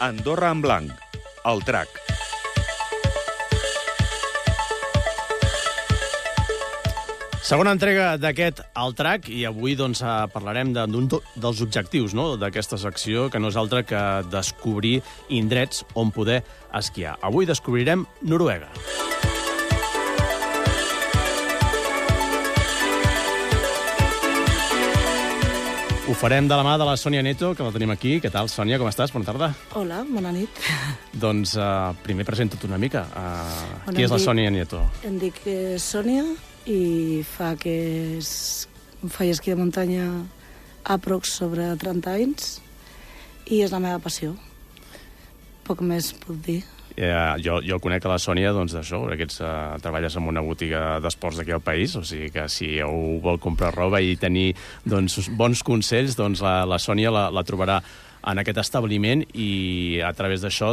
Andorra en blanc, el Trac. Segona entrega d'aquest El Trac, i avui parlarem d'un dels objectius d'aquesta secció, que no és altre que descobrir indrets on poder esquiar. Avui descobrirem Noruega. Ho farem de la mà de la Sònia Neto, que la tenim aquí. Què tal, Sònia? Com estàs? Bona tarda. Hola, bona nit. Doncs primer presenta't una mica. Qui és la Sònia Neto? Em dic Sònia i faig esquí de muntanya aprox sobre 30 anys i és la meva passió. Poc més puc dir. Jo conec a la Sònia d'això, perquè treballes en una botiga d'esports d'aquí al país, o sigui que si algú vol comprar roba i tenir bons consells, la Sònia la trobarà en aquest establiment, i a través d'això,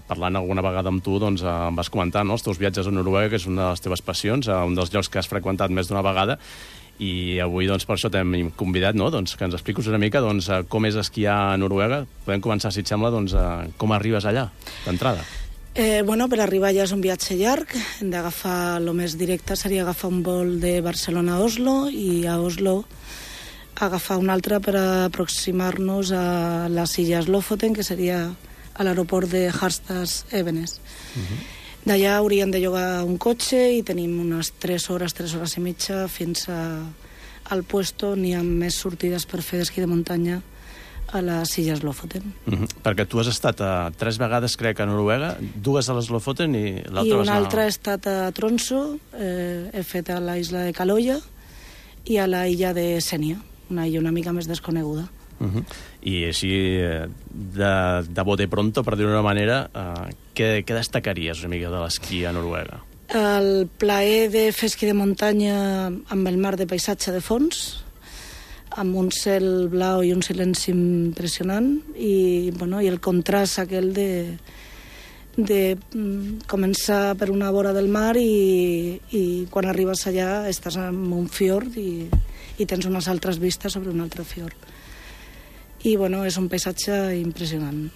parlant alguna vegada amb tu, em vas comentar els teus viatges a Noruega, que és una de les teves passions, un dels llocs que has freqüentat més d'una vegada, i avui per això t'hem convidat que ens expliquis una mica com és esquiar a Noruega. Podem començar, si et sembla, com arribes allà, d'entrada. Per arribar allà és un viatge llarg. Hem d'agafar, el més directe seria agafar un vol de Barcelona a Oslo, i a Oslo agafar un altre per aproximar-nos a les illes Lofoten, que seria a l'aeroport de Harstad Evenes. D'allà hauríem de llogar un cotxe i tenim unes 3 hores i mitja fins al puesto on hi ha més sortides per fer d'esquí de muntanya a les illes Lofoten. Perquè tu has estat 3 vegades, crec, a Noruega, 2 a les Lofoten i l'altra... I una altra he estat a Tromsø, he fet a la isla de Kaloya i a la illa de Senja, una illa una mica més desconeguda. I així, de bote pronto, per dir-ho d'una manera, què destacaries una mica de l'esquí a Noruega? El plaer de fer esquí de muntanya amb el mar de paisatge de fons, amb un cel blau i un silenci impressionant, i el contrast aquell de començar per una vora del mar i quan arribes allà estàs en un fiord i tens unes altres vistes sobre un altre fiord. I és un paisatge impressionant.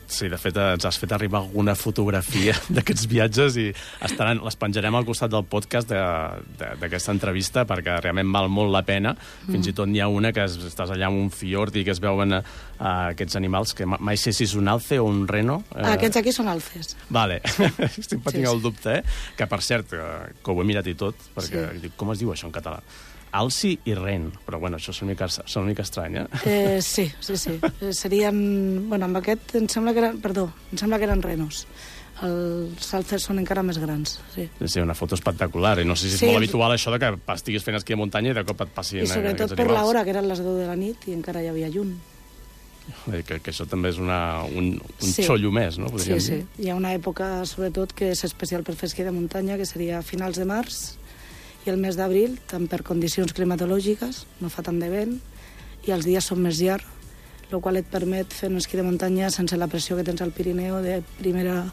Sí, de fet ens has fet arribar alguna fotografia d'aquests viatges i les penjarem al costat del podcast d'aquesta entrevista, perquè realment val molt la pena. Fins i tot n'hi ha una que estàs allà en un fiord i que es veuen aquests animals, que mai sé si és un alce o un reno. Aquests aquí són alces. Vale, estic patint el dubte, que per cert, que ho he mirat i tot, perquè dic, com es diu això en català? Alci i ren, però això és una mica estrany, Sí. Serien... amb aquest em sembla que eren renos. Els alces són encara més grans, sí. Sí, una foto espectacular, i no sé si és molt habitual això que estiguis fent esquí de muntanya i de cop et passin aquests animals. I sobretot per l'hora, que eren les 10 de la nit i encara hi havia llum. Que això també és un xollo més, no? Sí. Hi ha una època, sobretot, que és especial per fer esquí de muntanya, que seria a finals de març, i el mes d'abril, tant per condicions climatològiques, no fa tant de vent, i els dies són més llargs, el qual et permet fer un esquí de muntanya sense la pressió que tens al Pirineu de primera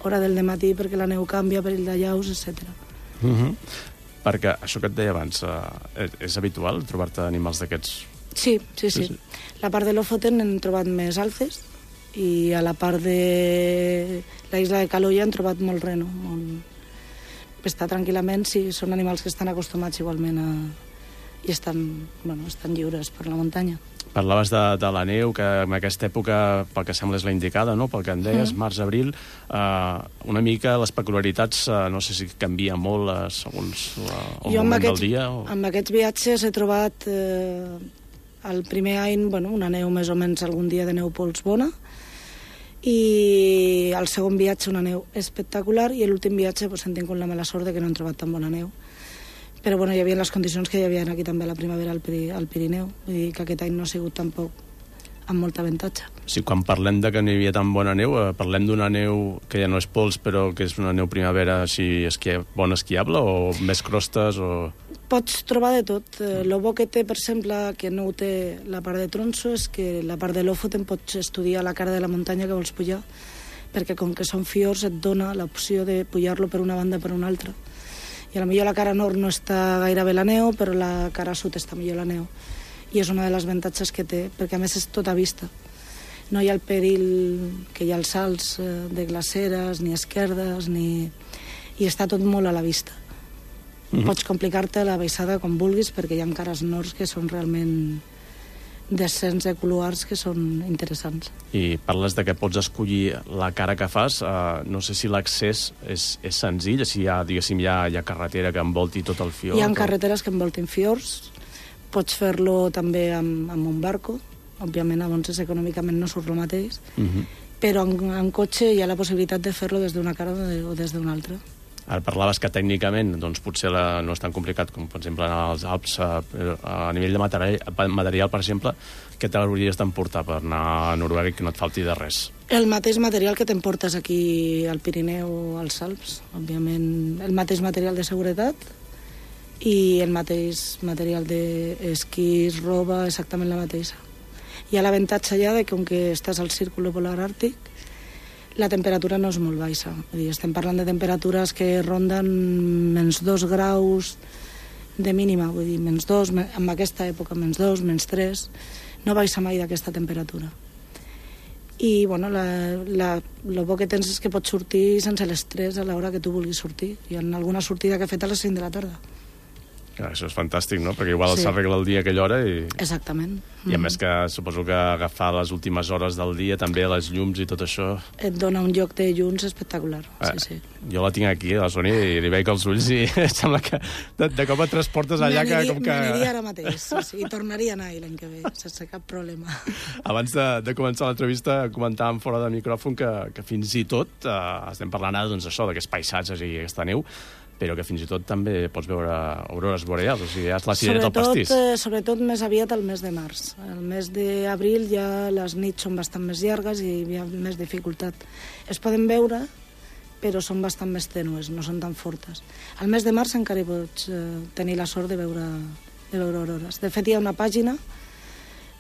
hora del dematí, perquè la neu canvia, perill de llaus, etc. Perquè això que et deia abans, és habitual trobar-te animals d'aquests? Sí. La part de Lofoten hem trobat més alces, i a la part de la isla de Kaloya hem trobat molt reno, està tranquil·lament, sí, són animals que estan acostumats igualment i estan lliures per la muntanya. Parlaves de la neu, que en aquesta època, pel que sembla, és la indicada, no? Pel que em deies, març-abril, una mica les peculiaritats, no sé si canvia molt segons el moment del dia. Amb aquests viatges he trobat el primer any una neu més o menys algun dia de neu pols bona, i el segon viatge una neu espectacular, i l'últim viatge hem tingut la mala sort de que no hem trobat tan bona neu, però hi havia les condicions que hi havia aquí també a la primavera al Pirineu, vull dir que aquest any no ha sigut tampoc amb molt avantatge. Sí, quan parlem de que no hi havia tan bona neu, parlem d'una neu que ja no és pols, però que és una neu primavera així bona esquiable, o més crostes, o... Pots trobar de tot. El bo que té, per exemple, que no ho té la part de Tromsø, és que la part de Lofoten pots estudiar la cara de la muntanya que vols pujar, perquè com que són fiords et dona l'opció de pujar-lo per una banda o per una altra. I potser la cara nord no està gaire bé la neu, però la cara sud està millor la neu. I és una de les avantatges que té, perquè a més és tota vista. No hi ha el perill que hi ha els salts de glaceres, ni esquerdes, i està tot molt a la vista. Pots complicar-te la baixada com vulguis, perquè hi ha cares nords que són realment descens de couloirs que són interessants. I parles de que pots escollir la cara que fas. No sé si l'accés és senzill, si hi ha, diguéssim, hi ha carretera que envolti tot el fiord. Hi ha carreteres que envoltin fiords. Pots fer-lo també amb un barco. Òbviament, llavors econòmicament no surt el mateix. Però en cotxe hi ha la possibilitat de fer-lo des d'una cara o des d'una altra. Ara parlaves que tècnicament doncs, potser no és tan complicat com, per exemple, anar als Alps. A nivell de material, per exemple, què t'hauries d'emportar per anar a Noruega i que no et falti de res? El mateix material que t'emportes aquí al Pirineu o als Alps. Òbviament, el mateix material de seguretat i el mateix material d'esquís, roba, exactament la mateixa. Hi ha l'avantatge ja de que, com que estàs al círculo polar àrtic, la temperatura no és molt baixa. Vull dir, estem parlant de temperatures que ronden menys 2 graus de mínima, vull dir, menys 2, en aquesta època, menys 2, menys 3, no baixa mai d'aquesta temperatura. I, bueno, el bo que tens és que pots sortir sense l'estrès a l'hora que tu vulguis sortir. Hi ha alguna sortida que he fet a les 5 de la tarda. Clar, això és fantàstic, no? Perquè igual s'arregla el dia a aquella hora i... Exactament. I a més que suposo que agafar les últimes hores del dia, també les llums i tot això... Et dona un lloc de llums espectacular, sí. Jo la tinc aquí, a la Sònia, i li veig els ulls i sembla que de cop et transportes allà que... M'aniria ara mateix, sí, i tornaria a anar l'any que ve, sense cap problema. Abans de començar l'entrevista comentàvem fora de micròfon que fins i tot estem parlant ara doncs, d'aquests paisatges i aquesta neu, però que fins i tot també pots veure aurores boreals, o sigui, ja és la cirereta del pastís. Sobretot més aviat el mes de març. El mes d'abril ja les nits són bastant més llargues i hi ha més dificultat. Es poden veure, però són bastant més tènues, no són tan fortes. Al mes de març encara pots tenir la sort de veure aurores. De fet, hi ha una pàgina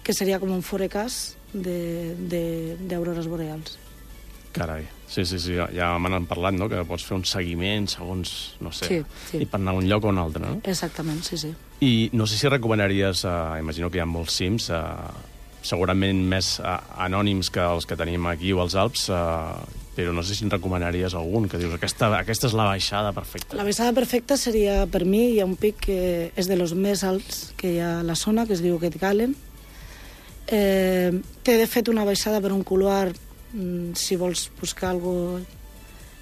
que seria com un forecast d'aurores boreals. Carai, sí, ja me n'han parlat, no?, que pots fer un seguiment segons, no sé, i per anar a un lloc o a un altre, no? Exactament, sí. I no sé si recomanaries, imagino que hi ha molts cims, segurament més anònims que els que tenim aquí o als Alps, però no sé si en recomanaries algun, que dius, aquesta és la baixada perfecta. La baixada perfecta seria, per mi, hi ha un pic que és de los més alts que hi ha a la zona, que es diu Ketgalen. Té, de fet, una baixada per un couloir, si vols buscar algo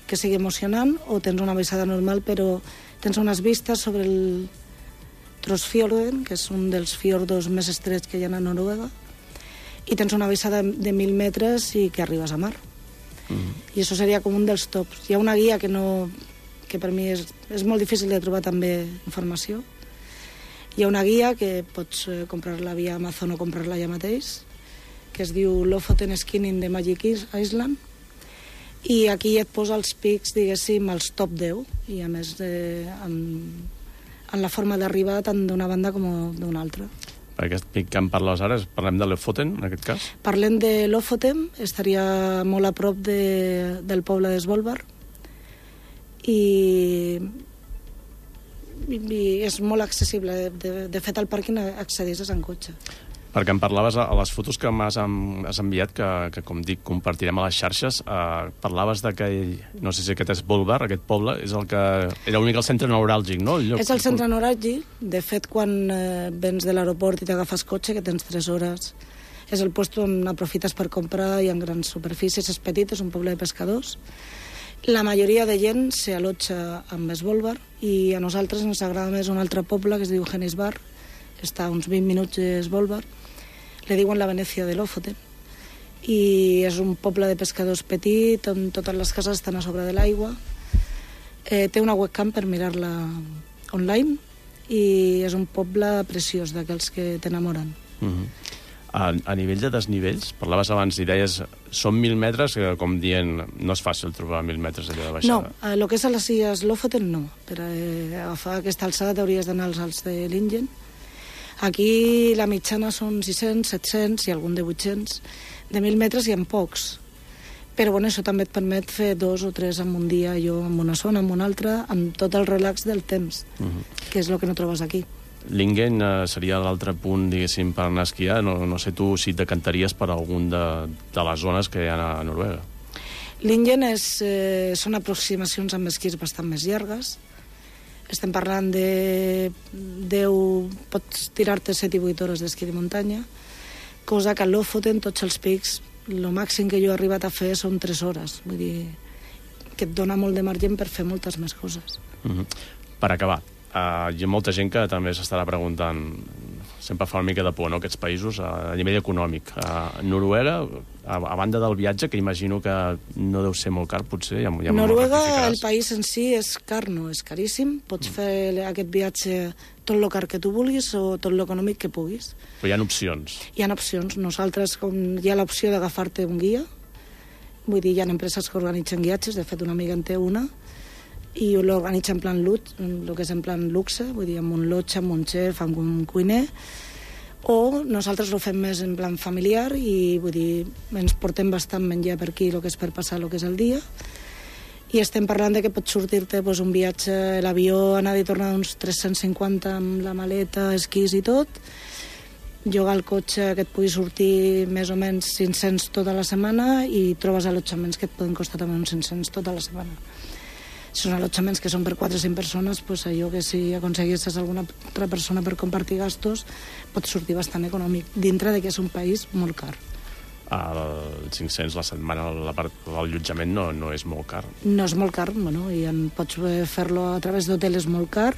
que sigui emocionant, o tens una baixada normal, però tens unes vistes sobre el Trossfjorden, que és un dels fiordos més estrets que hi ha a Noruega, i tens una baixada de 1.000 metres i que arribes a mar. I això seria com un dels tops. Hi ha una guia que per mi és molt difícil de trobar també informació. Hi ha una guia que pots comprar-la via Amazon o comprar-la allà mateix, que es diu Lofoten Skiing in the Magic Island, i aquí et posa els pics, diguéssim, els top 10, i a més en la forma d'arribar tant d'una banda com d'una altra. Per aquest pic que em parles ara, parlem de Lofoten, en aquest cas? Parlem de Lofoten, estaria molt a prop del poble de Svolvær, i és molt accessible. De fet, al pàrquing accedeixes en cotxe. Perquè em parlaves a les fotos que m'has enviat, que com dic, compartirem a les xarxes, parlaves de que, no sé si aquest és Svolvær, aquest poble, és el que era una mica el centre neuràlgic, no? És el centre neuràlgic. De fet, quan vens de l'aeroport i t'agafes cotxe, que tens 3 hores, és el lloc on aprofites per comprar, hi ha grans superfícies, és petit, és un poble de pescadors. La majoria de gent s'allotja amb Svolvær, i a nosaltres ens agrada més un altre poble que es diu Hennisberg, que està a uns 20 minuts de Svolvær. Le diuen la Venècia de Lofoten, i és un poble de pescadors petit on totes les cases estan a sobre de l'aigua. Té una webcam per mirar-la online, i és un poble preciós, d'aquells que t'enamoren. A nivell de desnivells, parlaves abans i deies, són 1.000 metres, que com dient, no és fàcil trobar 1.000 metres allà de baixada. No, el que és a les illes Lofoten no. Per agafar aquesta alçada t'hauries d'anar als Alts de Lingen. Aquí la mitjana són 600, 700 i algun de 800. De 1.000 metres hi ha pocs. Però bueno, això també et permet fer 2 o 3 en un dia, jo en una zona, en una altra, amb tot el relax del temps, que és el que no trobes aquí. Lingen seria l'altre punt, diguéssim, per anar a esquiar. No sé tu si et decantaries per algun de les zones que hi ha a Noruega. Lingen són aproximacions amb esquís bastant més llargues. Estem parlant de 10... Pots tirar-te 7 i 8 hores d'esquí de muntanya, cosa que a Lofoten, tots els pics, el màxim que jo he arribat a fer són 3 hores. Vull dir que et dona molt de marge per fer moltes més coses. Per acabar, hi ha molta gent que també s'estarà preguntant, sempre fa una mica de por, no?, aquests països a nivell econòmic. Noruega, a banda del viatge, que imagino que no deu ser molt car, potser, ja Noruega, el país en si és car, no és caríssim. Pots fer aquest viatge tot el car que tu vulguis o tot l'econòmic que puguis. Però hi ha opcions. Hi ha opcions. Nosaltres, com hi ha l'opció d'agafar-te un guia, vull dir, hi ha empreses que organitzen guiatges, de fet una amiga en té una, i l'organitza en plan el que és en plan luxe, vull dir, amb un lotge, amb un xef, amb un cuiner, o nosaltres ho fem més en plan familiar i, vull dir, ens portem bastant menjar per aquí, el que és per passar el que és el dia, i estem parlant de que pots sortir-te un viatge, l'avió, anar i tornar uns 350 amb la maleta, esquís i tot, llogar el cotxe que et pugui sortir més o menys 500 tota la setmana i trobes allotjaments que et poden costar també uns 500 tota la setmana. Si són allotjaments que són per 4 o 5 persones, doncs allò que si aconseguissis alguna altra persona per compartir gastos pot sortir bastant econòmic, dintre de que és un país molt car. El 500 la setmana, l'allotjament no és molt car. No és molt car, bueno, i pots fer-lo a través d'hotel, és molt car.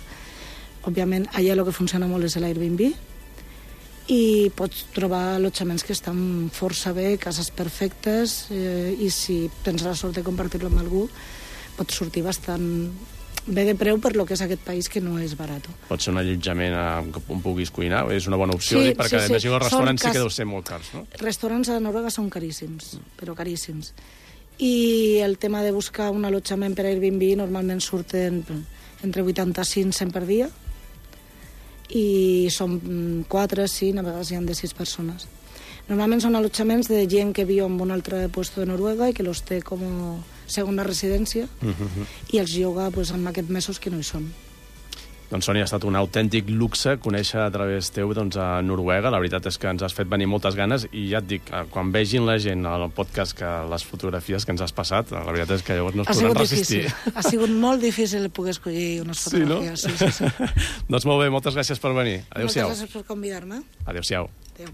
Òbviament, allà el que funciona molt és l'Airbnb, i pots trobar allotjaments que estan força bé, cases perfectes, i si tens la sort de compartir-lo amb algú, pots sortir bastant bé de preu per lo que és aquest país, que no és barat. Pot ser un allotjament on puguis cuinar? És una bona opció, perquè imagino els restaurants sí que deu ser molt cars, no? Restaurants a Noruega són caríssims, però caríssims. I el tema de buscar un allotjament per Airbnb normalment surten entre 85 i 100 per dia, i són 4, 5, a vegades hi ha de 6 persones. Normalment són allotjaments de gent que viu en un altre lloc de Noruega i que los té com a segona residència, i els lloga en aquests mesos que no hi són. Doncs, Sònia, ha estat un autèntic luxe conèixer a través teu a Noruega. La veritat és que ens has fet venir moltes ganes i ja et dic, quan vegin la gent al podcast que les fotografies que ens has passat, la veritat és que llavors no es podran resistir. Ha sigut molt difícil poder escollir unes fotografies. Sí, no? Sí. Doncs molt bé, moltes gràcies per venir. Adéu-siau. Moltes gràcies per convidar-me. Adéu-siau. Adéu.